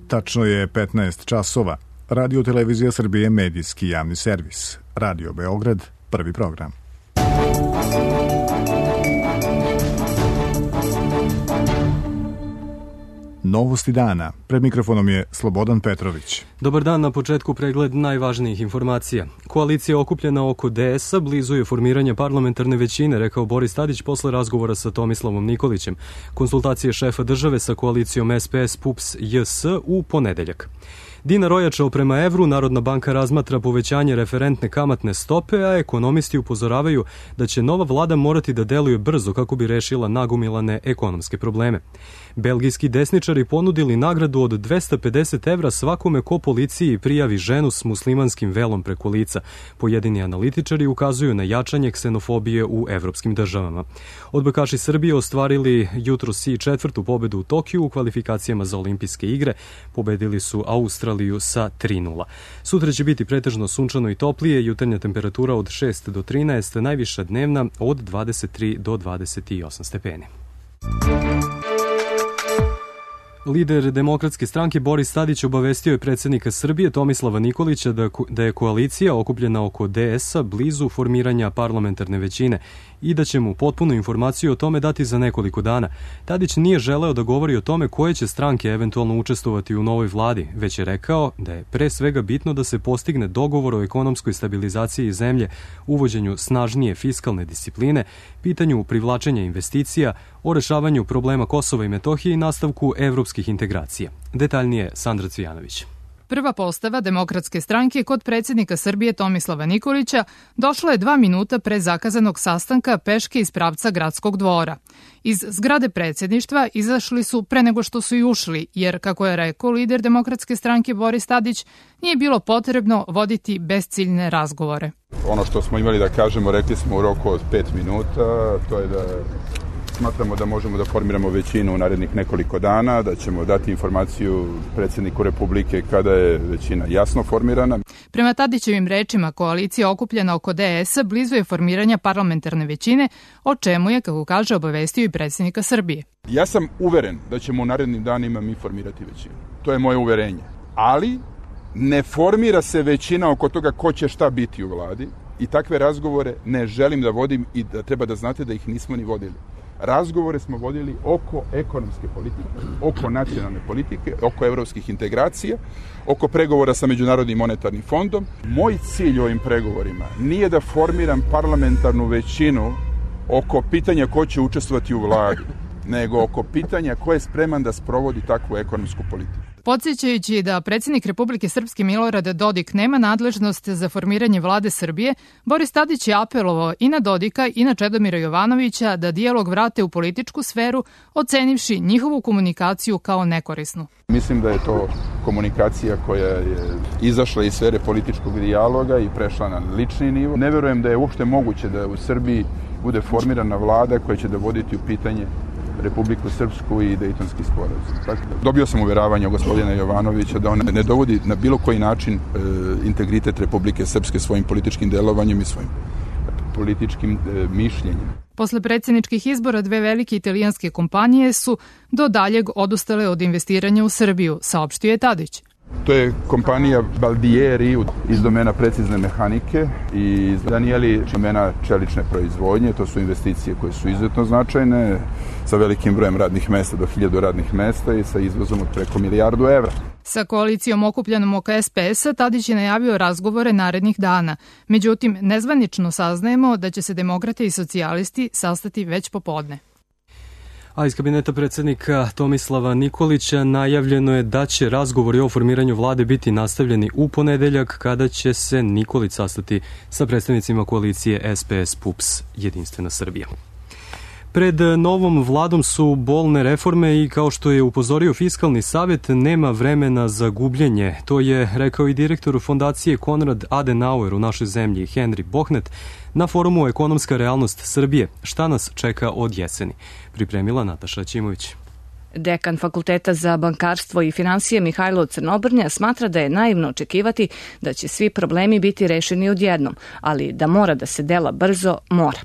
Tačno je 15 časova. Radio Televizija Srbije, medijski javni servis. Radio Beograd, prvi program. Novosti dana. Pred mikrofonom je Slobodan Petrović. Dobar dan, na početku pregled najvažnijih informacija. Koalicija okupljena oko DS-a blizu je formiranja parlamentarne većine, rekao Boris Tadić posle razgovora sa Tomislavom Nikolićem. Konsultacije šefa države sa koalicijom SPS, PUPS, JS u ponedeljak. Dinar ojačao prema evru, Narodna banka razmatra povećanje referentne kamatne stope, a ekonomisti upozoravaju da će nova vlada morati da deluje brzo kako bi rešila nagomilane ekonomske probleme. Belgijski desničari ponudili nagradu od 250 evra svakome ko policiji prijavi ženu s muslimanskim velom preko lica. Pojedini analitičari ukazuju na jačanje ksenofobije u evropskim državama. Odbojkaši Srbije ostvarili jutros i četvrtu pobedu u Tokiju u kvalifikacijama za olimpijske igre. Pobedili su Australiju sa 3:0. Sutra će biti pretežno sunčano i toplije, jutarnja temperatura od 6 do 13, najviša dnevna od 23 do 28 stepeni. Lider Demokratske stranke Boris Tadić obavestio je predsjednika Srbije Tomislava Nikolića da je koalicija okupljena oko DS-a blizu formiranja parlamentarne većine i da će mu potpunu informaciju o tome dati za nekoliko dana. Tadić nije želeo da govori o tome koje će stranke eventualno učestvovati u novoj vladi, već je rekao da je pre svega bitno da se postigne dogovor o ekonomskoj stabilizaciji zemlje, uvođenju snažnije fiskalne discipline, pitanju privlačenja investicija, o rešavanju problema Kosova i Metohije i nastavku evropskih integracija. Detaljnije Sandra Cvijanović. Prva postava Demokratske stranke kod predsjednika Srbije Tomislava Nikolića došla je 2 minuta pre zakazanog sastanka peške iz pravca Gradskog dvora. Iz zgrade predsjedništva izašli su pre nego što su i ušli, jer, kako je rekao lider Demokratske stranke Boris Tadić, nije bilo potrebno voditi besciljne razgovore. Ono što smo imali da kažemo, rekli smo u roku od 5 minuta, to je da smatramo da možemo da formiramo većinu u narednih nekoliko dana, da ćemo dati informaciju predsjedniku Republike kada je većina jasno formirana. Prema Tadićevim rečima, koalicija okupljena oko DS-a blizu je formiranja parlamentarne većine, o čemu je, kako kaže, obavestio i predsjednika Srbije. Ja sam uveren da ćemo u narednim danima mi formirati većinu. To je moje uverenje. Ali ne formira se većina oko toga ko će šta biti u vladi i takve razgovore ne želim da vodim i da treba da znate da ih nismo ni vodili. Razgovore smo vodili oko ekonomske politike, oko nacionalne politike, oko evropskih integracija, oko pregovora sa Međunarodnim monetarnim fondom. Moj cilj u ovim pregovorima nije da formiram parlamentarnu većinu oko pitanja ko će učestvovati u vladi, nego oko pitanja ko je spreman da sprovodi takvu ekonomsku politiku. Podsjećajući da predsjednik Republike Srpske Milorad Dodik nema nadležnost za formiranje vlade Srbije, Boris Tadić je apelovao i na Dodika i na Čedomira Jovanovića da dijalog vrate u političku sferu, ocenivši njihovu komunikaciju kao nekorisnu. Mislim da je to komunikacija koja je izašla iz sfere političkog dijaloga i prešla na lični nivo. Ne verujem da je uopšte moguće da u Srbiji bude formirana vlada koja će dovoditi u pitanje Republiku Srpsku i Dejtonski sporazum. Dobio sam uveravanje od gospodina Jovanovića da on ne dovodi na bilo koji način integritet Republike Srpske svojim političkim delovanjem i svojim političkim mišljenjem. Posle predsjedničkih izbora 2 velike italijanske kompanije su do daljeg odustale od investiranja u Srbiju, saopštio je Tadić. To je kompanija Baldieri iz domena precizne mehanike i Danieli iz domena čelične proizvodnje. To su investicije koje su izuzetno značajne, sa velikim brojem radnih mesta do 1000 radnih mesta i sa izvozom od preko 1 milijardu evra. Sa koalicijom okupljenom oko SPS-a Tadić je najavio razgovore narednih dana. Međutim, nezvanično saznajemo da će se demokrate i socijalisti sastati već popodne. A iz kabineta predsjednika Tomislava Nikolića najavljeno je da će razgovori o formiranju vlade biti nastavljeni u ponedeljak, kada će se Nikolić sastati sa predstavnicima koalicije SPS, PUPS, Jedinstvena Srbija. Pred novom vladom su bolne reforme i, kao što je upozorio Fiskalni savet, nema vremena za gubljenje. To je rekao i direktor fondacije Konrad Adenauer u našoj zemlji, Henry Bohnet, na forumu Ekonomska realnost Srbije. Šta nas čeka od jeseni? Pripremila Nataša Ćimović. Dekan Fakulteta za bankarstvo i finansije Mihajlo Crnobrnja smatra da je naivno očekivati da će svi problemi biti rešeni odjednom, ali da mora da se dela brzo, mora.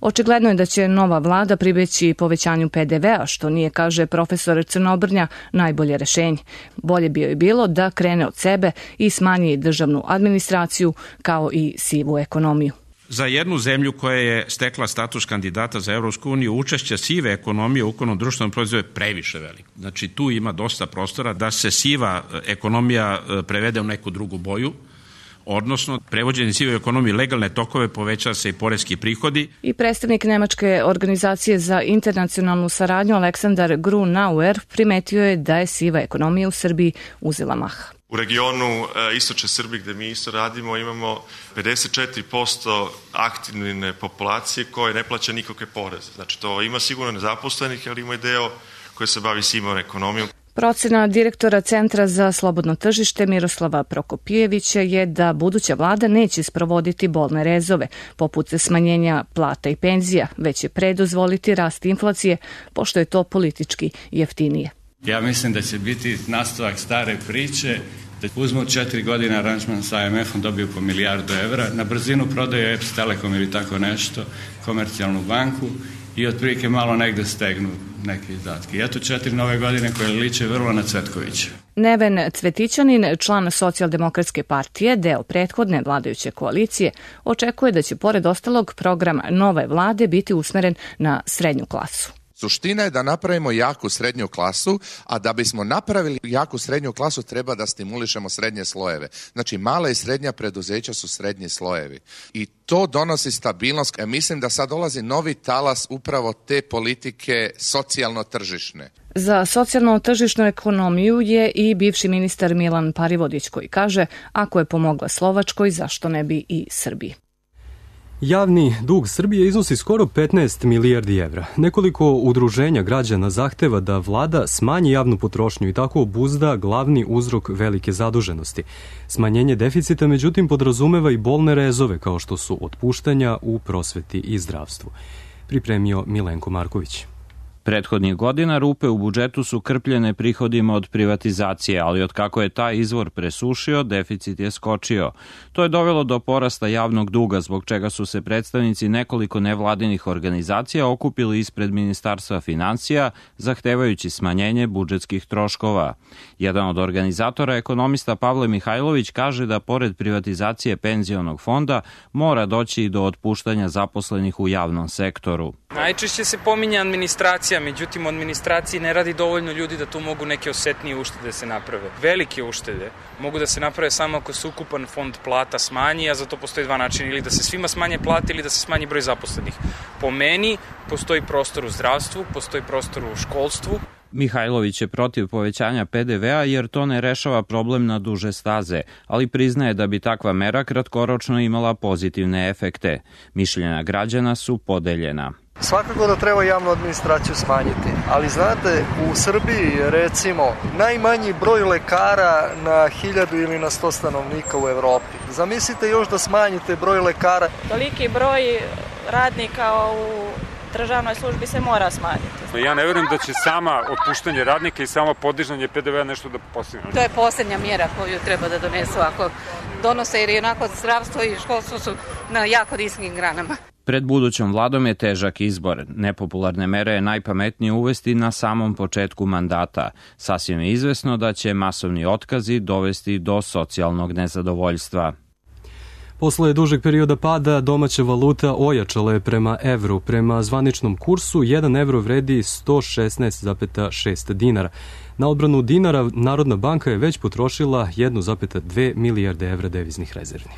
Očigledno je da će nova vlada pribeći povećanju PDV-a, što nije, kaže profesor Crnobrnja, najbolje rešenje. Bolje bi joj bilo da krene od sebe i smanji državnu administraciju kao i sivu ekonomiju. Za jednu zemlju koja je stekla status kandidata za Evropsku uniju, učešće sive ekonomije u ukupnom društvenom proizvodu je previše veliko. Znači tu ima dosta prostora da se siva ekonomija prevede u neku drugu boju, odnosno prevođenje sive ekonomije legalne tokove poveća se i poreski prihodi. I predstavnik Nemačke organizacije za internacionalnu saradnju Aleksandar Grunauer primetio je da je siva ekonomija u Srbiji uzela maha. U regionu istočne Srbije gde mi isto radimo imamo 54% aktivne populacije koje ne plaća nikakve poreze. Znači to ima sigurno nezaposlenih, ali ima i deo koji se bavi sivom ekonomijom. Procena direktora Centra za slobodno tržište Miroslava Prokopijevića je da buduća vlada neće sprovoditi bolne rezove, poput smanjenja plata i penzija, već će predozvoliti rast inflacije, pošto je to politički jeftinije. Ja mislim da će biti nastavak stare priče, da uzmu 4 godine aranžman sa IMF-om, dobiju po milijardu evra, na brzinu prodaju EPS, Telekom ili tako nešto, komercijalnu banku i otprilike malo negde stegnu neke izdatke. I eto 4 nove godine koje liče vrlo na Cvetkovića. Neven Cvetićanin, član Socijaldemokratske partije, deo prethodne vladajuće koalicije, očekuje da će pored ostalog program nove vlade biti usmeren na srednju klasu. Suština je da napravimo jaku srednju klasu, a da bismo napravili jaku srednju klasu treba da stimulišemo srednje slojeve. Znači, mala i srednja preduzeća su srednji slojevi. I to donosi stabilnost. Mislim da sad dolazi novi talas upravo te politike socijalno-tržišne. Za socijalno-tržišnu ekonomiju je i bivši ministar Milan Parivodić koji kaže, ako je pomogla Slovačkoj, zašto ne bi i Srbiji. Javni dug Srbije iznosi skoro 15 milijardi evra. Nekoliko udruženja građana zahteva da vlada smanji javnu potrošnju i tako obuzda glavni uzrok velike zaduženosti. Smanjenje deficita, međutim, podrazumeva i bolne rezove, kao što su otpuštanja u prosveti i zdravstvu. Pripremio Milenko Marković. Prethodnih godina rupe u budžetu su krpljene prihodima od privatizacije, ali od kako je taj izvor presušio, deficit je skočio. To je dovelo do porasta javnog duga, zbog čega su se predstavnici nekoliko nevladinih organizacija okupili ispred Ministarstva finansija, zahtevajući smanjenje budžetskih troškova. Jedan od organizatora, ekonomista Pavle Mihajlović, kaže da pored privatizacije penzionog fonda mora doći i do otpuštanja zaposlenih u javnom sektoru. Najčešće se pominje administracija, međutim u administraciji ne radi dovoljno ljudi da tu mogu neke osetnije uštede se naprave. Velike uštede mogu da se naprave samo ako se ukupan fond plata smanji, a za to postoji dva načina, ili da se svima smanje plate ili da se smanji broj zaposlenih. Po meni postoji prostor u zdravstvu, postoji prostor u školstvu. Mihajlović je protiv povećanja PDV-a jer to ne rešava problem na duže staze, ali priznaje da bi takva mera kratkoročno imala pozitivne efekte. Mišljenja građana su podeljena. Svakako da treba javnu administraciju smanjiti, ali znate, u Srbiji recimo najmanji broj lekara na 1000 ili na 100 stanovnika u Evropi. Zamislite još da smanjite broj lekara. Toliki broj radnika u državnoj službi se mora smanjiti. Ja ne vjerujem da će sama otpuštanje radnika i samo podizanje PDV-a nešto da postigne. To je posljednja mjera koju treba da donesu ako donose, jer onako zdravstvo i školstvo su na jako niskim granama. Pred budućom vladom je težak izbor. Nepopularne mere je najpametnije uvesti na samom početku mandata. Sasvim je izvesno da će masovni otkazi dovesti do socijalnog nezadovoljstva. Posle dužeg perioda pada, domaća valuta ojačala je prema evru. Prema zvaničnom kursu, 1 evro vredi 116,6 dinara. Na odbranu dinara, Narodna banka je već potrošila 1,2 milijarde evra deviznih rezervi.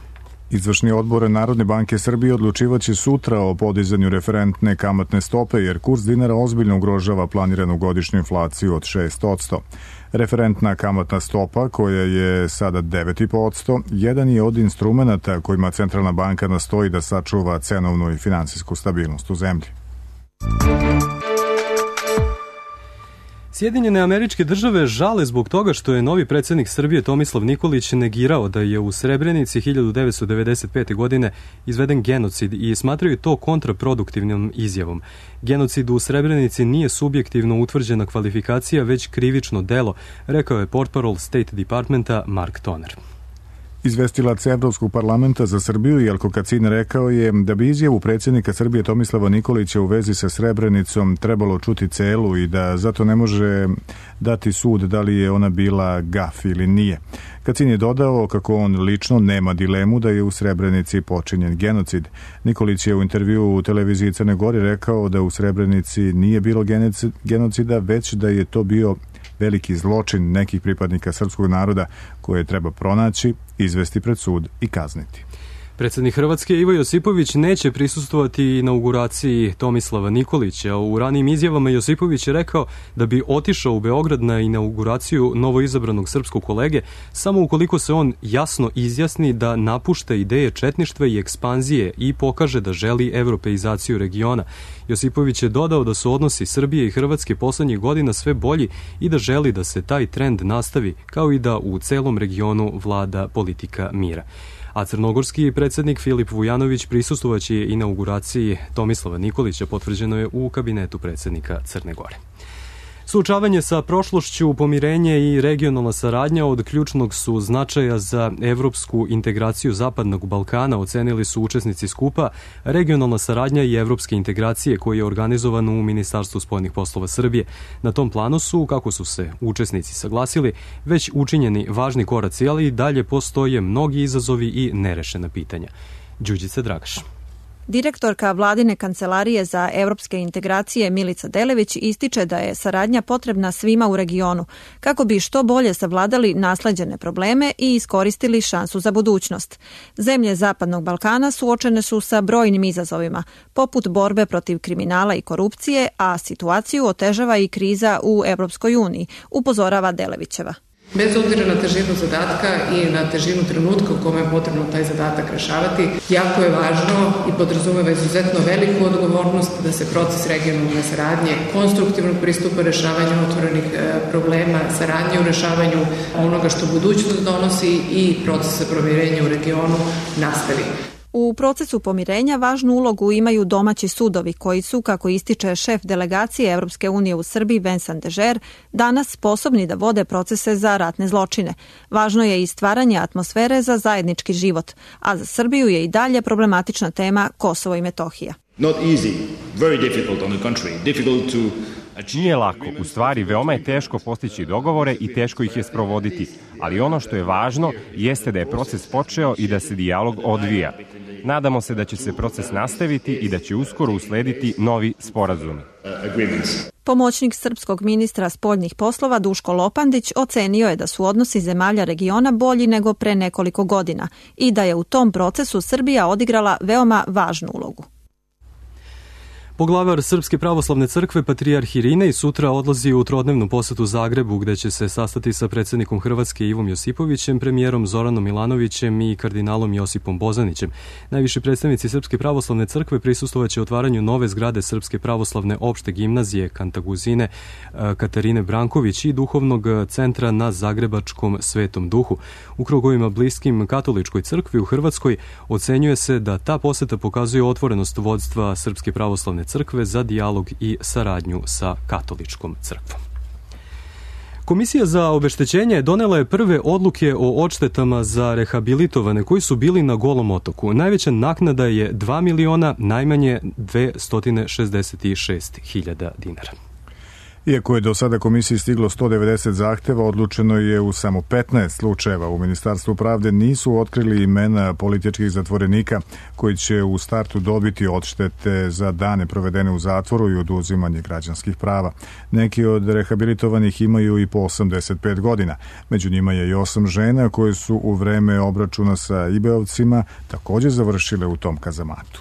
Izvršni odbor Narodne banke Srbije odlučivaće sutra o podizanju referentne kamatne stope, jer kurs dinara ozbiljno ugrožava planiranu godišnju inflaciju od 6%. Referentna kamatna stopa, koja je sada 9,5%, jedan je od instrumenata kojima Centralna banka nastoji da sačuva cenovnu i finansijsku stabilnost u zemlji. Sjedinjene Američke Države žale zbog toga što je novi predsjednik Srbije Tomislav Nikolić negirao da je u Srebrenici 1995. godine izveden genocid i smatraju to kontraproduktivnom izjavom. Genocid u Srebrenici nije subjektivno utvrđena kvalifikacija, već krivično delo, rekao je portparol State Departmenta Mark Toner. Izvestilac Evropskog parlamenta za Srbiju Jelko Kacin rekao je da bi izjavu predsjednika Srbije Tomislava Nikolića u vezi sa Srebrenicom trebalo čuti celu i da zato ne može dati sud da li je ona bila gaf ili nije. Kacin je dodao kako on lično nema dilemu da je u Srebrenici počinjen genocid. Nikolić je u intervjuu u televiziji Crne Gore rekao da u Srebrenici nije bilo genocida, već da je to bio veliki zločin nekih pripadnika srpskog naroda koje treba pronaći, izvesti pred sud i kazniti. Predsjednik Hrvatske Ivo Josipović neće prisustvovati inauguraciji Tomislava Nikolića. U ranijim izjavama Josipović je rekao da bi otišao u Beograd na inauguraciju novoizabranog srpskog kolege samo ukoliko se on jasno izjasni da napušta ideje četništva i ekspanzije i pokaže da želi evropeizaciju regiona. Josipović je dodao da su odnosi Srbije i Hrvatske poslednjih godina sve bolji i da želi da se taj trend nastavi, kao i da u celom regionu vlada politika mira. A crnogorski predsjednik Filip Vujanović prisustvovaće inauguraciji Tomislava Nikolića, potvrđeno je u kabinetu predsjednika Crne Gore. Suočavanje sa prošlošću, pomirenje i regionalna saradnja od ključnog su značaja za evropsku integraciju Zapadnog Balkana, ocenili su učesnici skupa Regionalna saradnja i evropske integracije koji je organizovan u Ministarstvu spoljnih poslova Srbije. Na tom planu su, kako su se učesnici saglasili, već učinjeni važni koraci, ali i dalje postoje mnogi izazovi i nerešena pitanja. Đurđica Dragaš. Direktorka Vladine kancelarije za evropske integracije Milica Delević ističe da je saradnja potrebna svima u regionu kako bi što bolje savladali nasleđene probleme i iskoristili šansu za budućnost. Zemlje Zapadnog Balkana suočene su sa brojnim izazovima, poput borbe protiv kriminala i korupcije, a situaciju otežava i kriza u Evropskoj uniji, upozorava Delevićeva. Bez obzira na težinu zadatka i na težinu trenutka u kome je potrebno taj zadatak rešavati, jako je važno i podrazumeva izuzetno veliku odgovornost da se proces regionalne saradnje, konstruktivnog pristupa rešavanju otvorenih problema, saradnje u rešavanju onoga što budućnost donosi i procesa pomirenja u regionu nastavi. U procesu pomirenja važnu ulogu imaju domaći sudovi koji su, kako ističe šef delegacije Evropske unije u Srbiji Vincent Dežer, danas sposobni da vode procese za ratne zločine. Važno je i stvaranje atmosfere za zajednički život, a za Srbiju je i dalje problematična tema Kosovo i Metohija. Not easy, very difficult on the contrary, difficult to... Nije lako, u stvari veoma je teško postići dogovore i teško ih je sprovoditi, ali ono što je važno jeste da je proces počeo i da se dijalog odvija. Nadamo se da će se proces nastaviti i da će uskoro uslediti novi sporazumi. Pomoćnik srpskog ministra spoljnih poslova Duško Lopandić ocenio je da su odnosi zemalja regiona bolji nego pre nekoliko godina i da je u tom procesu Srbija odigrala veoma važnu ulogu. Poglavar Srpske pravoslavne crkve Patrijarh Irinej sutra odlazi u trodnevnu posetu Zagrebu gde će se sastati sa predsjednikom Hrvatske Ivom Josipovićem, premijerom Zoranom Milanovićem i kardinalom Josipom Bozanićem. Najviši predstavnici Srpske pravoslavne crkve prisustvovaće otvaranju nove zgrade Srpske pravoslavne opšte gimnazije Kantaguzine Katarine Branković i duhovnog centra na Zagrebačkom Svetom Duhu. U krugovima bliskim katoličkoj crkvi u Hrvatskoj ocenjuje se da ta poseta pokazuje otvorenost vodstva Srpske pravoslavne crkve za dijalog i saradnju sa katoličkom crkvom. Komisija za obeštećenje donela je prve odluke o odštetama za rehabilitovane koji su bili na Golom otoku. Najveća naknada je 2 miliona, najmanje 266.000 dinara. Iako je do sada komisiji stiglo 190 zahteva, odlučeno je u samo 15 slučajeva. U Ministarstvu pravde nisu otkrili imena političkih zatvorenika koji će u startu dobiti odštete za dane provedene u zatvoru i oduzimanje građanskih prava. Neki od rehabilitovanih imaju i po 85 godina. Među njima je i 8 žena koje su u vreme obračuna sa IB-ovcima također završile u tom kazamatu.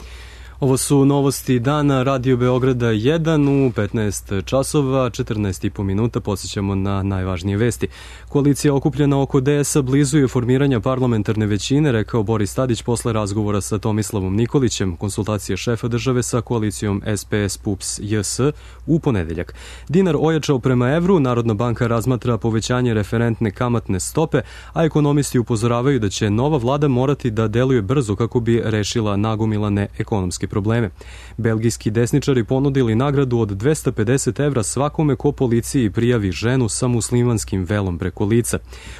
Ovo su novosti dana Radio Beograda 1 u 15 časova, 14,5 minuta. Podsjećamo na najvažnije vesti. Koalicija okupljena oko DS-a blizu je formiranja parlamentarne većine, rekao Boris Tadić posle razgovora sa Tomislavom Nikolićem, konsultacije šefa države sa koalicijom SPS PUPS JS u ponedeljak. Dinar ojačao prema evru, Narodna banka razmatra povećanje referentne kamatne stope, a ekonomisti upozoravaju da će nova vlada morati da deluje brzo kako bi rešila nagomilane ekonomske probleme. Belgijski desničari ponudili nagradu od 250 evra svakome ko policiji prijavi ženu sa muslimanskim velom preko lica.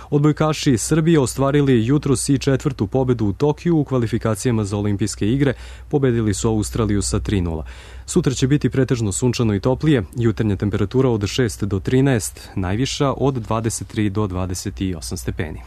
Odbojkaši Srbije ostvarili jutros i četvrtu pobedu u Tokiju u kvalifikacijama za olimpijske igre, pobedili su Australiju sa 3:0. Sutra će biti pretežno sunčano i toplije, jutarnja temperatura od 6 do 13, najviša od 23 do 28 stepeni.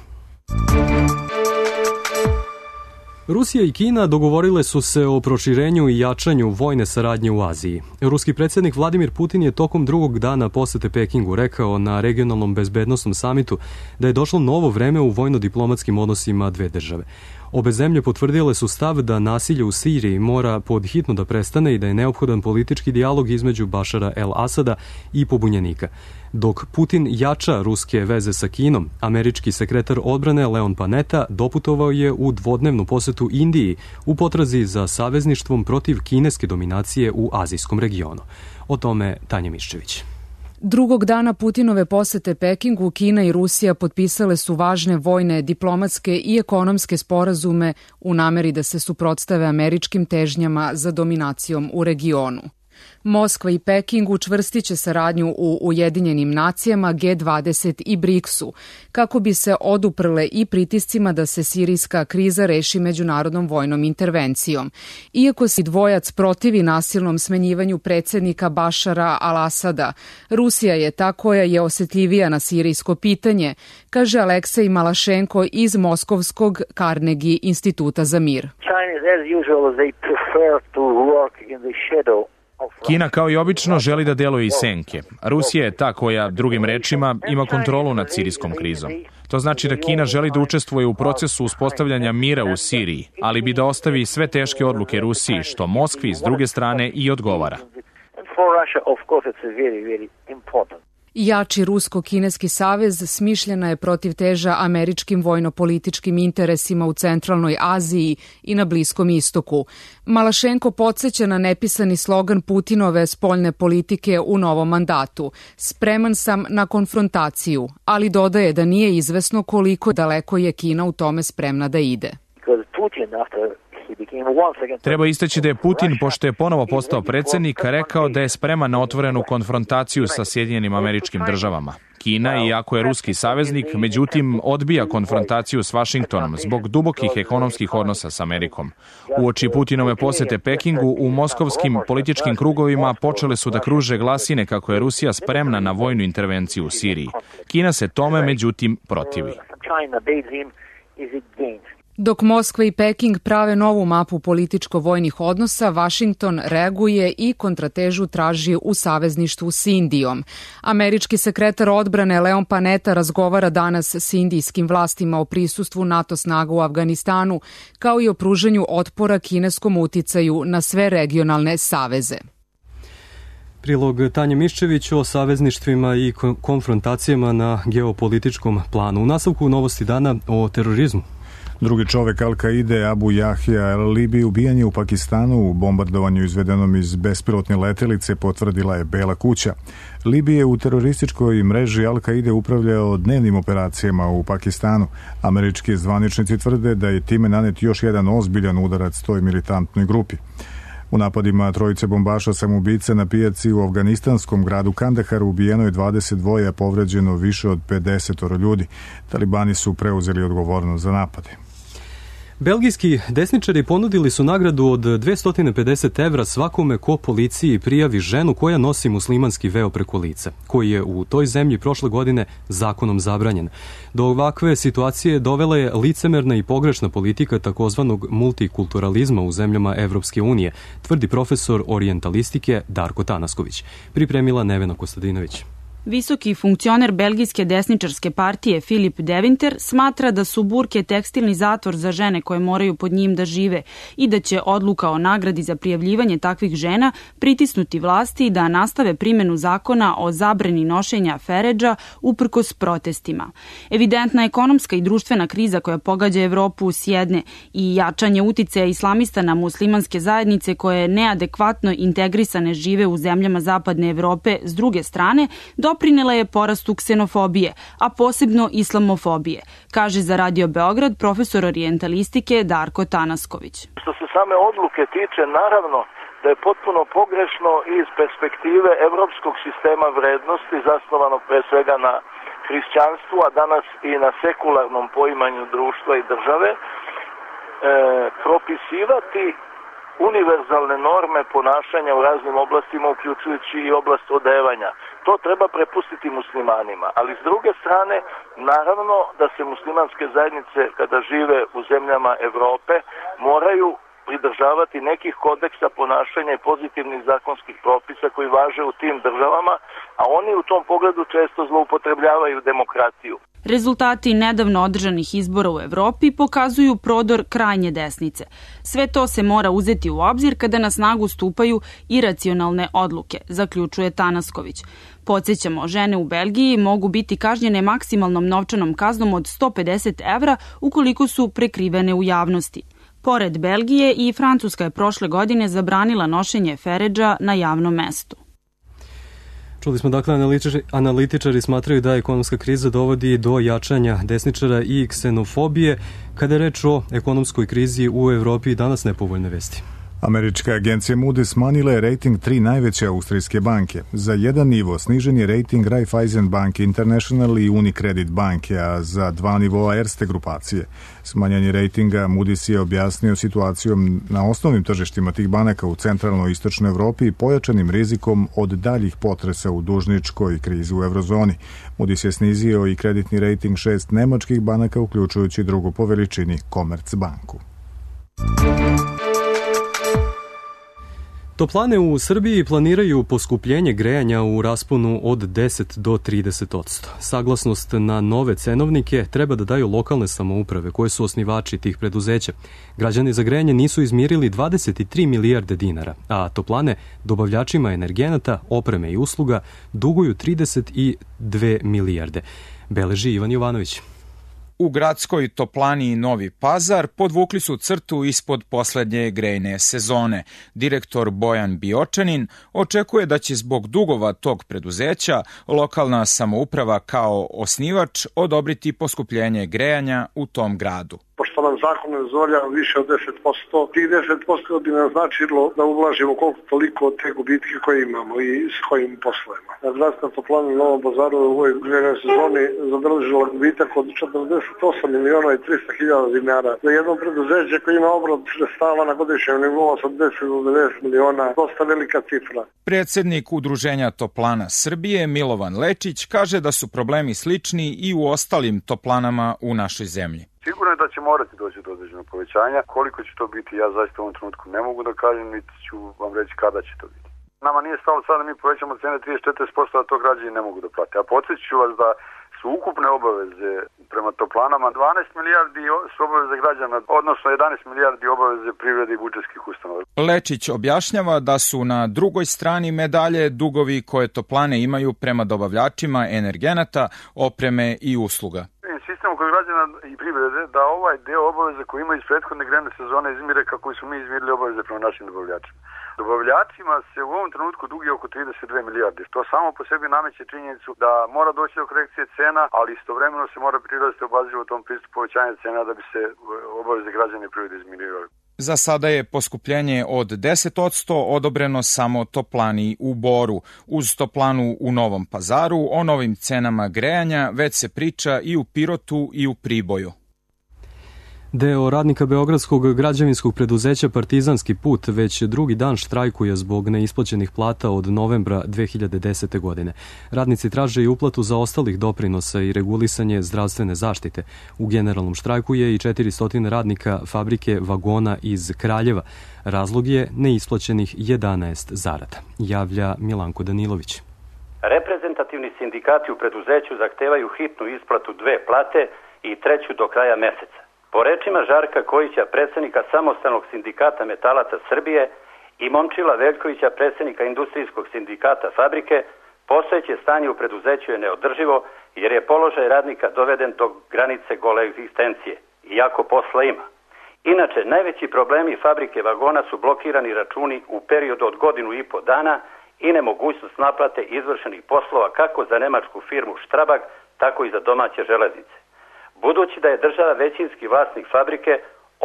Rusija i Kina dogovorile su se o proširenju i jačanju vojne saradnje u Aziji. Ruski predsjednik Vladimir Putin je tokom drugog dana posete Pekingu rekao na regionalnom bezbednosnom samitu da je došlo novo vreme u vojno-diplomatskim odnosima dve države. Obe zemlje potvrdile su stav da nasilje u Siriji mora podhitno da prestane i da je neophodan politički dijalog između Bašara el-Asada i pobunjenika. Dok Putin jača ruske veze sa Kinom, američki sekretar odbrane Leon Panetta doputovao je u dvodnevnu posetu Indiji u potrazi za savezništvom protiv kineske dominacije u azijskom regionu. O tome Tanja Miščević. Drugog dana Putinove posete Pekingu, Kina i Rusija potpisale su važne vojne, diplomatske i ekonomske sporazume u nameri da se suprotstave američkim težnjama za dominacijom u regionu. Moskva i Peking učvrstiće saradnju u Ujedinjenim nacijama, G20 i BRICS-u, kako bi se oduprle i pritiscima da se sirijska kriza reši međunarodnom vojnom intervencijom. Iako se dvojac protivi nasilnom smenjivanju predsjednika Bašara al-Asada, Rusija je ta koja je osjetljivija na sirijsko pitanje, kaže Aleksej Malašenko iz Moskovskog Carnegie instituta za mir. Kina kao i obično želi da deluje iz senke. Rusija je ta koja, drugim rečima, ima kontrolu nad sirijskom krizom. To znači da Kina želi da učestvuje u procesu uspostavljanja mira u Siriji, ali bi da ostavi sve teške odluke Rusiji, što Moskvi s druge strane i odgovara. Jači rusko-kineski savez smišljena je protiv teža američkim vojno-političkim interesima u centralnoj Aziji i na Bliskom istoku. Malašenko podsjeća na nepisani slogan Putinove spoljne politike u novom mandatu. Spreman sam na konfrontaciju, ali dodaje da nije izvesno koliko daleko je Kina u tome spremna da ide. Treba istaći da je Putin, pošto je ponovo postao predsjednik, rekao da je spreman na otvorenu konfrontaciju sa Sjedinjenim Američkim Državama. Kina, iako je ruski saveznik, međutim odbija konfrontaciju s Vašingtonom zbog dubokih ekonomskih odnosa s Amerikom. Uoči Putinove posete Pekingu, u moskovskim političkim krugovima počele su da kruže glasine kako je Rusija spremna na vojnu intervenciju u Siriji. Kina se tome, međutim, protivi. Dok Moskva i Peking prave novu mapu političko-vojnih odnosa, Vašington reaguje i kontratežu traži u savezništvu s Indijom. Američki sekretar odbrane Leon Panetta razgovara danas s indijskim vlastima o prisustvu NATO snaga u Afganistanu, kao i o pružanju otpora kineskom uticaju na sve regionalne saveze. Prilog Tanje Miščević o savezništvima i konfrontacijama na geopolitičkom planu. U nastavku novosti dana o terorizmu. Drugi čovek Al-Kaide, Abu Jahja el-Libi, ubijen je u Pakistanu u bombardovanju izvedenom iz bespilotne letelice, potvrdila je Bela kuća. Libi je u terorističkoj mreži Al-Kaide upravljao dnevnim operacijama u Pakistanu. Američki zvaničnici tvrde da je time nanet još jedan ozbiljan udarac toj militantnoj grupi. U napadima trojice bombaša samoubice na pijaci u afganistanskom gradu Kandaharu ubijeno je 22, a povređeno više od 50 ljudi. Talibani su preuzeli odgovornost za napade. Belgijski desničari ponudili su nagradu od 250 evra svakome ko policiji prijavi ženu koja nosi muslimanski veo preko lica, koji je u toj zemlji prošle godine zakonom zabranjen. Do ovakve situacije dovela je licemerna i pogrešna politika takozvanog multikulturalizma u zemljama Evropske unije, tvrdi profesor orijentalistike Darko Tanasković. Pripremila Nevena Kostadinović. Visoki funkcioner belgijske desničarske partije Filip Deventer smatra da su burke tekstilni zatvor za žene koje moraju pod njim da žive i da će odluka o nagradi za prijavljivanje takvih žena pritisnuti vlasti da nastave primjenu zakona o zabrani nošenja feredža uprkos protestima. Evidentna ekonomska i društvena kriza koja pogađa Evropu s jedne i jačanje uticaja islamista na muslimanske zajednice koje neadekvatno integrisane žive u zemljama zapadne Evrope s druge strane, doprinela je porastu ksenofobije, a posebno islamofobije, kaže za Radio Beograd profesor orijentalistike Darko Tanasković. Što se same odluke tiče, naravno da je potpuno pogrešno iz perspektive evropskog sistema vrednosti, zasnovanog pre svega na hrišćanstvu, a danas i na sekularnom poimanju društva i države, propisivati univerzalne norme ponašanja u raznim oblastima, uključujući i oblast odevanja. To treba prepustiti muslimanima, ali s druge strane, naravno da se muslimanske zajednice kada žive u zemljama Evrope moraju pridržavati nekih kodeksa ponašanja i pozitivnih zakonskih propisa koji važe u tim državama, a oni u tom pogledu često zloupotrebljavaju demokratiju. Rezultati nedavno održanih izbora u Evropi pokazuju prodor krajnje desnice. Sve to se mora uzeti u obzir kada na snagu stupaju iracionalne odluke, zaključuje Tanasković. Podsjećamo, žene u Belgiji mogu biti kažnjene maksimalnom novčanom kaznom od 150 evra ukoliko su prekrivene u javnosti. Pored Belgije, i Francuska je prošle godine zabranila nošenje feredža na javnom mestu. Čuli smo, dakle, analitičari smatraju da ekonomska kriza dovodi do jačanja desničara i ksenofobije. Kada je reč o ekonomskoj krizi u Evropi, danas nepovoljne vesti. Američka agencija Moody's smanjila je rating 3 najveće austrijske banke. Za jedan nivo snižen je rating Raiffeisen Bank International i Unicredit banke, a za 2 nivoa Erste grupacije. Smanjanje ratinga Moody's je objasnio situacijom na osnovnim tržištima tih banaka u centralnoj i istočnoj Evropi i pojačanim rizikom od daljih potresa u dužničkoj krizi u eurozoni. Moody's je snizio i kreditni rating 6 nemačkih banaka, uključujući drugu po veličini Commerzbanku. Toplane u Srbiji planiraju poskupljenje grejanja u rasponu od 10 do 30%. Saglasnost na nove cenovnike treba da daju lokalne samouprave koje su osnivači tih preduzeća. Građani za grejanje nisu izmirili 23 milijarde dinara, a toplane dobavljačima energenata, opreme i usluga duguju 32 milijarde. Beleži Ivan Jovanović. U gradskoj toplani Novi Pazar podvukli su crtu ispod poslednje grejne sezone. Direktor Bojan Biočanin očekuje da će zbog dugova tog preduzeća lokalna samouprava kao osnivač odobriti poskupljenje grejanja u tom gradu. Pošto nam zakon ne dozvoljava više od 10%, tih 10% bi nam značilo da ublažimo koliko toliko te gubitke koje imamo i s kojim poslujemo. Gradska toplana u Novom Pazaru u ovoj grejnoj sezoni zabeležila gubitak od 48 miliona i 300 hiljada dinara. Za jedno preduzeće koje ima obrat sredstava na godišnjem nivou od 10 do 90 miliona, dosta velika cifra. Predsednik Udruženja toplana Srbije Milovan Lečić kaže da su problemi slični i u ostalim toplanama u našoj zemlji. Sigurno je da će morati doći do određenog povećanja. Koliko će to biti, ja zaista u ovom trenutku ne mogu da kažem, niti ću vam reći kada će to biti. Nama nije stalo sada da mi povećamo cene 34%, a to građani ne mogu da plate. A podsjetit ću vas da su ukupne obaveze prema toplanama 12 milijardi su obaveze građana, odnosno 11 milijardi obaveze privrede i budžetskih ustanova. Lečić objašnjava da su na drugoj strani medalje dugovi koje toplane imaju prema dobavljačima energenata, opreme i usluga. Sistem kod građana i privrede da ovaj deo obaveze koji ima iz prethodne grejne sezone izmire kako su mi izmirili obaveze prema našim dobavljačima. Dobavljačima se u ovom trenutku dugi oko 32 milijarde, što samo po sebi nameće činjenicu da mora doći do korekcije cena, ali istovremeno se mora prilaziti obazrivo tom pristupu povećanja cena da bi se obaveze građana i privrede izmirivali. Za sada je poskupljenje od 10% odobreno samo toplani u Boru. Uz toplanu u Novom Pazaru o novim cenama grejanja već se priča i u Pirotu i u Priboju. Deo radnika beogradskog građevinskog preduzeća Partizanski put već drugi dan štrajkuje zbog neisplaćenih plata od novembra 2010. godine. Radnici traže i uplatu zaostalih doprinosa i regulisanje zdravstvene zaštite. U generalnom štrajku je i 400 radnika fabrike vagona iz Kraljeva. Razlog je neisplaćenih 11 zarada, javlja Milanko Danilović. Reprezentativni sindikati u preduzeću zahtevaju hitnu isplatu 2 plate i 3 do kraja meseca. Po rečima Žarka Kojića, predsjednika Samostalnog sindikata metalaca Srbije, i Momčila Veljkovića, predsjednika Industrijskog sindikata Fabrike, postojeće stanje u preduzeću je neodrživo jer je položaj radnika doveden do granice gole egzistencije, iako posla ima. Inače, najveći problemi Fabrike vagona su blokirani računi u periodu od 1,5 dana i nemogućnost naplate izvršenih poslova kako za nemačku firmu Strabag, tako i za domaće železnice. Budući da je država većinski vlasnik fabrike,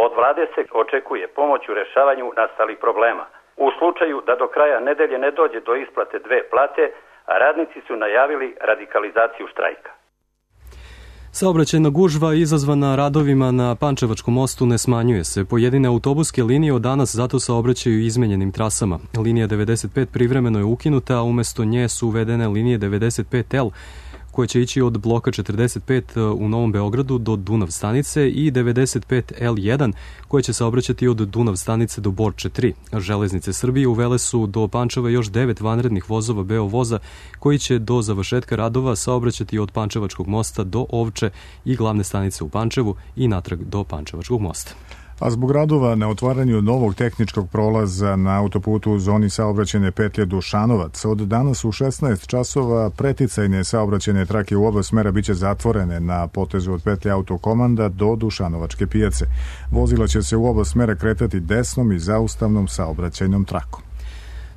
od vlade se očekuje pomoć u rešavanju nastalih problema. U slučaju da do kraja nedelje ne dođe do isplate 2 plate, radnici su najavili radikalizaciju štrajka. Saobraćajna gužva izazvana radovima na Pančevačkom mostu ne smanjuje se. Pojedine autobuske linije od danas zato saobraćaju izmenjenim trasama. Linija 95 privremeno je ukinuta, a umesto nje su uvedene linije 95L, koje će ići od bloka 45 u Novom Beogradu do Dunav stanice i 95L1 koje će saobraćati od Dunav stanice do Borče 3. Železnice Srbije uvele su do Pančeva još 9 vanrednih vozova Beovoza koji će do završetka radova saobraćati od Pančevačkog mosta do Ovče i glavne stanice u Pančevu i natrag do Pančevačkog mosta. A zbog radova na otvaranju novog tehničkog prolaza na autoputu u zoni saobraćajne petlje Dušanovac, od danas u 16 časova preticajne saobraćajne trake u oba smera biće zatvorene na potezu od petlje Autokomanda do Dušanovačke pijace. Vozila će se u oba smera kretati desnom i zaustavnom saobraćajnom trakom.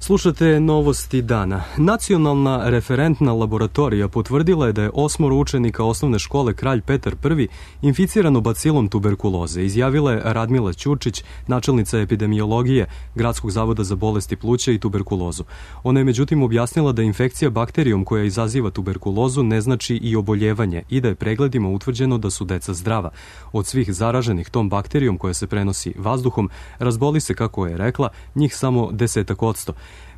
Slušate novosti dana. Nacionalna referentna laboratorija potvrdila je da je 8 učenika osnovne škole Kralj Petar I inficirano bacilom tuberkuloze, izjavila je Radmila Ćurčić, načelnica epidemiologije Gradskog zavoda za bolesti pluća i tuberkulozu. Ona je međutim objasnila da infekcija bakterijom koja izaziva tuberkulozu ne znači i oboljevanje i da je pregledima utvrđeno da su deca zdrava. Od svih zaraženih tom bakterijom koja se prenosi vazduhom, razboli se, kako je rekla, njih samo 10%.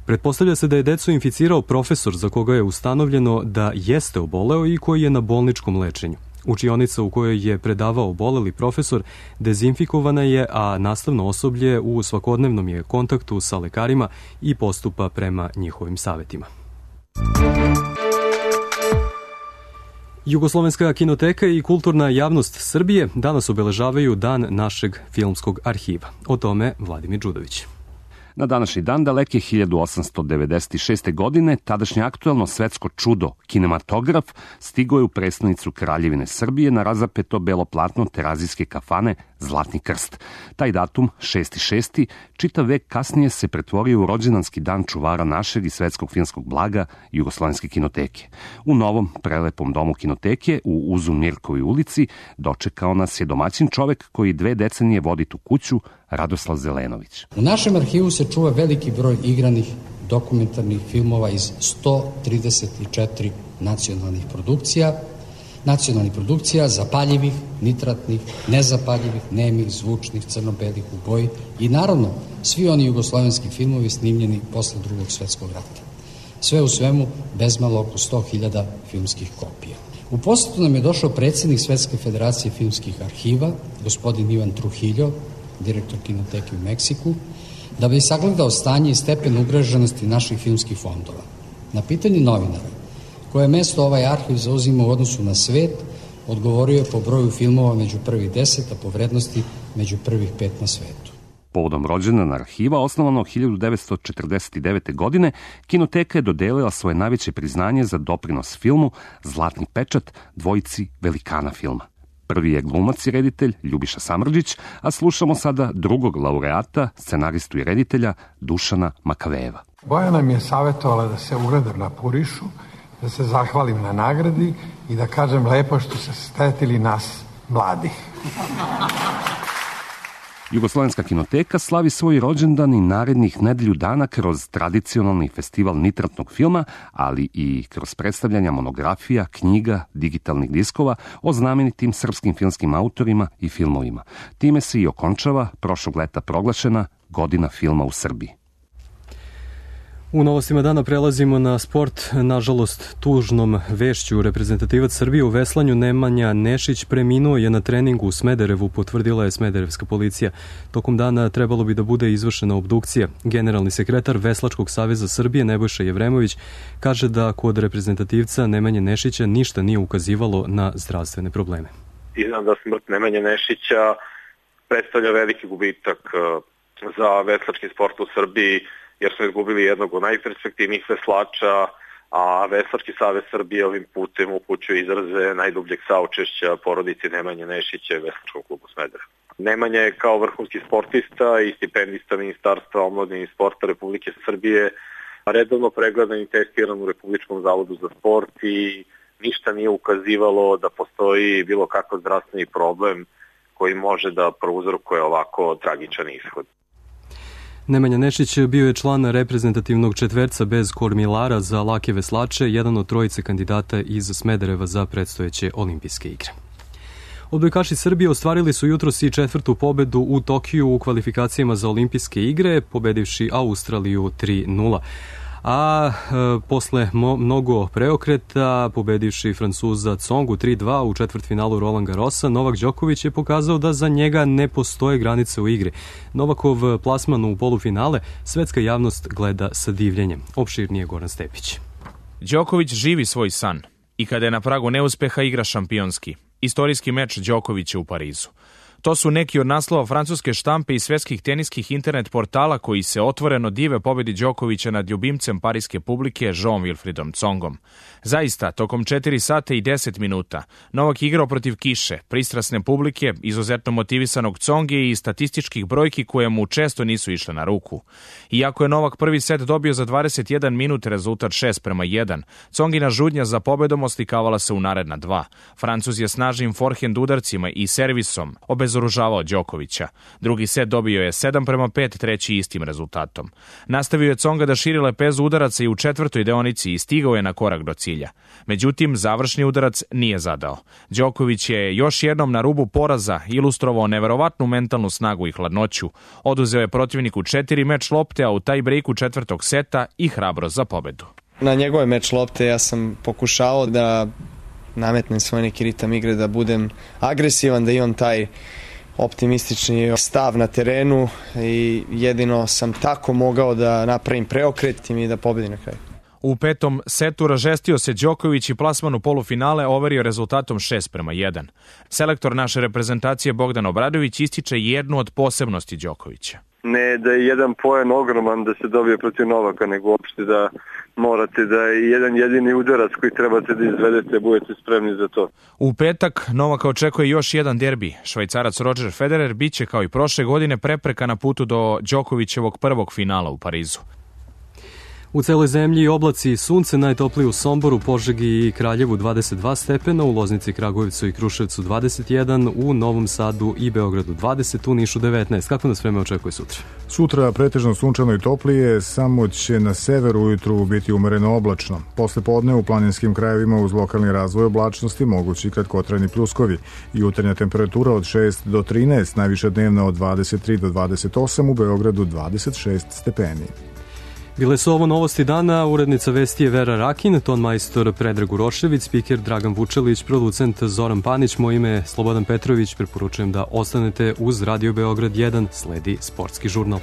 Pretpostavlja se da je decu inficirao profesor za koga je ustanovljeno da jeste oboleo i koji je na bolničkom lečenju. Učionica u kojoj je predavao oboleli profesor dezinfikovana je, a nastavno osoblje u svakodnevnom je kontaktu sa lekarima i postupa prema njihovim savetima. Jugoslovenska kinoteka i kulturna javnost Srbije danas obeležavaju Dan našeg filmskog arhiva. O tome Vladimir Đudović. Na današnji dan daleke 1896. godine tadašnje aktuelno svetsko čudo, kinematograf, stigo je u prestonicu Kraljevine Srbije na razapeto belo platno terazijske kafane Zlatni krst. Taj datum, 6.6., čitav vek kasnije se pretvorio u rođendanski dan čuvara našeg i svetskog filmskog blaga Jugoslovenske kinoteke. U novom, prelepom domu kinoteke u Uzu Mirkovoj ulici dočekao nas je domaćin čovek koji 2 decenije vodi tu kuću, Radoslav Zelenović. U našem arhivu se čuva veliki broj igranih dokumentarnih filmova iz 134 nacionalnih produkcija, zapaljivih, nitratnih, nezapaljivih, nemih, zvučnih, crno-belih u boji i naravno svi oni jugoslovenski filmovi snimljeni posle Drugog svetskog rata. Sve u svemu bezmalo oko 100.000 filmskih kopija. U posetu nam je došao predsjednik Svetske federacije filmskih arhiva, gospodin Ivan Trujillo, direktor kinoteke u Meksiku, da bi sagledao stanje i stepen ugroženosti naših filmskih fondova. Na pitanje novinara, koje mesto ovaj arhiv zauzima u odnosu na svet, odgovorio je po broju filmova među prvih 10, a po vrednosti među prvih 5 na svetu. Povodom rođendana arhiva, osnovano 1949. godine, kinoteka je dodelila svoje najveće priznanje za doprinos filmu Zlatni pečat dvojici velikana filma. Prvi je glumac i reditelj Ljubiša Samrđić, a slušamo sada drugog laureata, scenaristu i reditelja Dušana Makavejeva. Bojana mi je savjetovala da se ugledam na Purišu, da se zahvalim na nagradi i da kažem lepo što se stetili nas mladih. Jugoslovenska kinoteka slavi svoj rođendan i narednih nedelju dana kroz tradicionalni festival nitratnog filma, ali i kroz predstavljanja monografija, knjiga, digitalnih diskova o znamenitim srpskim filmskim autorima i filmovima. Time se i okončava prošlog leta proglašena Godina filma u Srbiji. U novostima dana prelazimo na sport. Nažalost, tužnom vešću reprezentativac Srbije u veslanju Nemanja Nešić preminuo je na treningu u Smederevu, potvrdila je smederevska policija. Tokom dana trebalo bi da bude izvršena obdukcija. Generalni sekretar Veslačkog saveza Srbije Nebojša Jevremović kaže da kod reprezentativca Nemanje Nešića ništa nije ukazivalo na zdravstvene probleme. Iznad da smrt Nemanje Nešića predstavlja veliki gubitak za veslački sport u Srbiji, jer smo izgubili jednog od najperspektivnijih veslača, a Veslački savez Srbije ovim putem upućuje izraze najdubljeg saučešća porodici Nemanje Nešića i Veslačkom klubu Smederevo. Nemanja je kao vrhunski sportista i stipendista Ministarstva omladine i sporta Republike Srbije redovno pregledan i testiran u Republičkom zavodu za sport i ništa nije ukazivalo da postoji bilo kakav zdravstveni problem koji može da prouzrokuje ovako tragičan ishod. Nemanja Nešić bio je član reprezentativnog četverca bez kormilara za lake veslače, jedan od trojice kandidata iz Smedereva za predstojeće olimpijske igre. Odbojkaši Srbije ostvarili su jutros i četvrtu pobedu u Tokiju u kvalifikacijama za olimpijske igre, pobedivši Australiju 3-0. A posle mnogo preokreta, pobedivši Francuza Tsongu 3-2 u četvrtfinalu Roland Garrosa, Novak Đoković je pokazao da za njega ne postoje granice u igri. Novakov plasman u polufinale svetska javnost gleda sa divljenjem. Opširnije Goran Stepić. Đoković živi svoj san i kada je na pragu neuspeha igra šampionski. Istorijski meč Đokovića u Parizu. To su neki od naslova francuske štampe i svetskih teniskih internet portala koji se otvoreno dive pobedi Đokovića nad ljubimcem pariske publike Jean Wilfriedom Tsongom. Zaista, tokom 4 sata i 10 minuta, Novak igrao protiv kiše, pristrasne publike, izuzetno motivisanog Tsonge i statističkih brojki koje mu često nisu išle na ruku. Iako je Novak prvi set dobio za 21 minut, rezultat 6-1, Tsongina žudnja za pobedom oslikavala se u naredna 2. Francuz je snažnim forehand udarcima i servisom obezoružavao Đokovića. Drugi set dobio je 7-5, treći istim rezultatom. Nastavio je Tsonga da širi lepezu udaraca i u četvrtoj deonici i stigao je na korak do cilja. Međutim, završni udarac nije zadao. Đoković je još jednom na rubu poraza ilustrovao neverovatnu mentalnu snagu i hladnoću. Oduzeo je protivniku 4 meč lopte, a u taj breaku četvrtog seta i hrabro za pobedu. Na njegove meč lopte ja sam pokušao da nametnem svoj neki ritam igre, da budem agresivan, da imam taj optimistični stav na terenu i jedino sam tako mogao da napravim preokret i da pobedim na kraju. U petom setu ražestio se Đoković i plasman u polufinale overio rezultatom 6-1. Selektor naše reprezentacije Bogdan Obradović ističe jednu od posebnosti Đokovića. Ne da je jedan poen ogroman da se dobije protiv Novaka, nego uopšte da morate da je jedan jedini udarac koji trebate da izvedete, budete spremni za to. U petak Novaka očekuje još jedan derbi. Švajcarac Roger Federer biće kao i prošle godine prepreka na putu do Đokovićevog prvog finala u Parizu. U celoj zemlji oblaci i sunce, najtoplije u Somboru, Požegi i Kraljevu 22 stepena, u Loznici, Kragujevcu i Kruševcu 21, u Novom Sadu i Beogradu 20, u Nišu 19. Kako nas vreme očekuje sutra? Sutra pretežno sunčano i toplije, samo će na severu ujutru biti umereno oblačno. Posle podne u planinskim krajevima uz lokalni razvoj oblačnosti mogući kratkotrajni pljuskovi. Jutarnja temperatura od 6 do 13, najviša dnevna od 23 do 28, u Beogradu 26 stepeni. Bile su ovo novosti dana, urednica vesti je Vera Rakin, ton majstor Predrag Urošević, spiker Dragan Vučelić, producent Zoran Panić, moje ime je Slobodan Petrović, preporučujem da ostanete uz Radio Beograd 1, sledi sportski žurnal.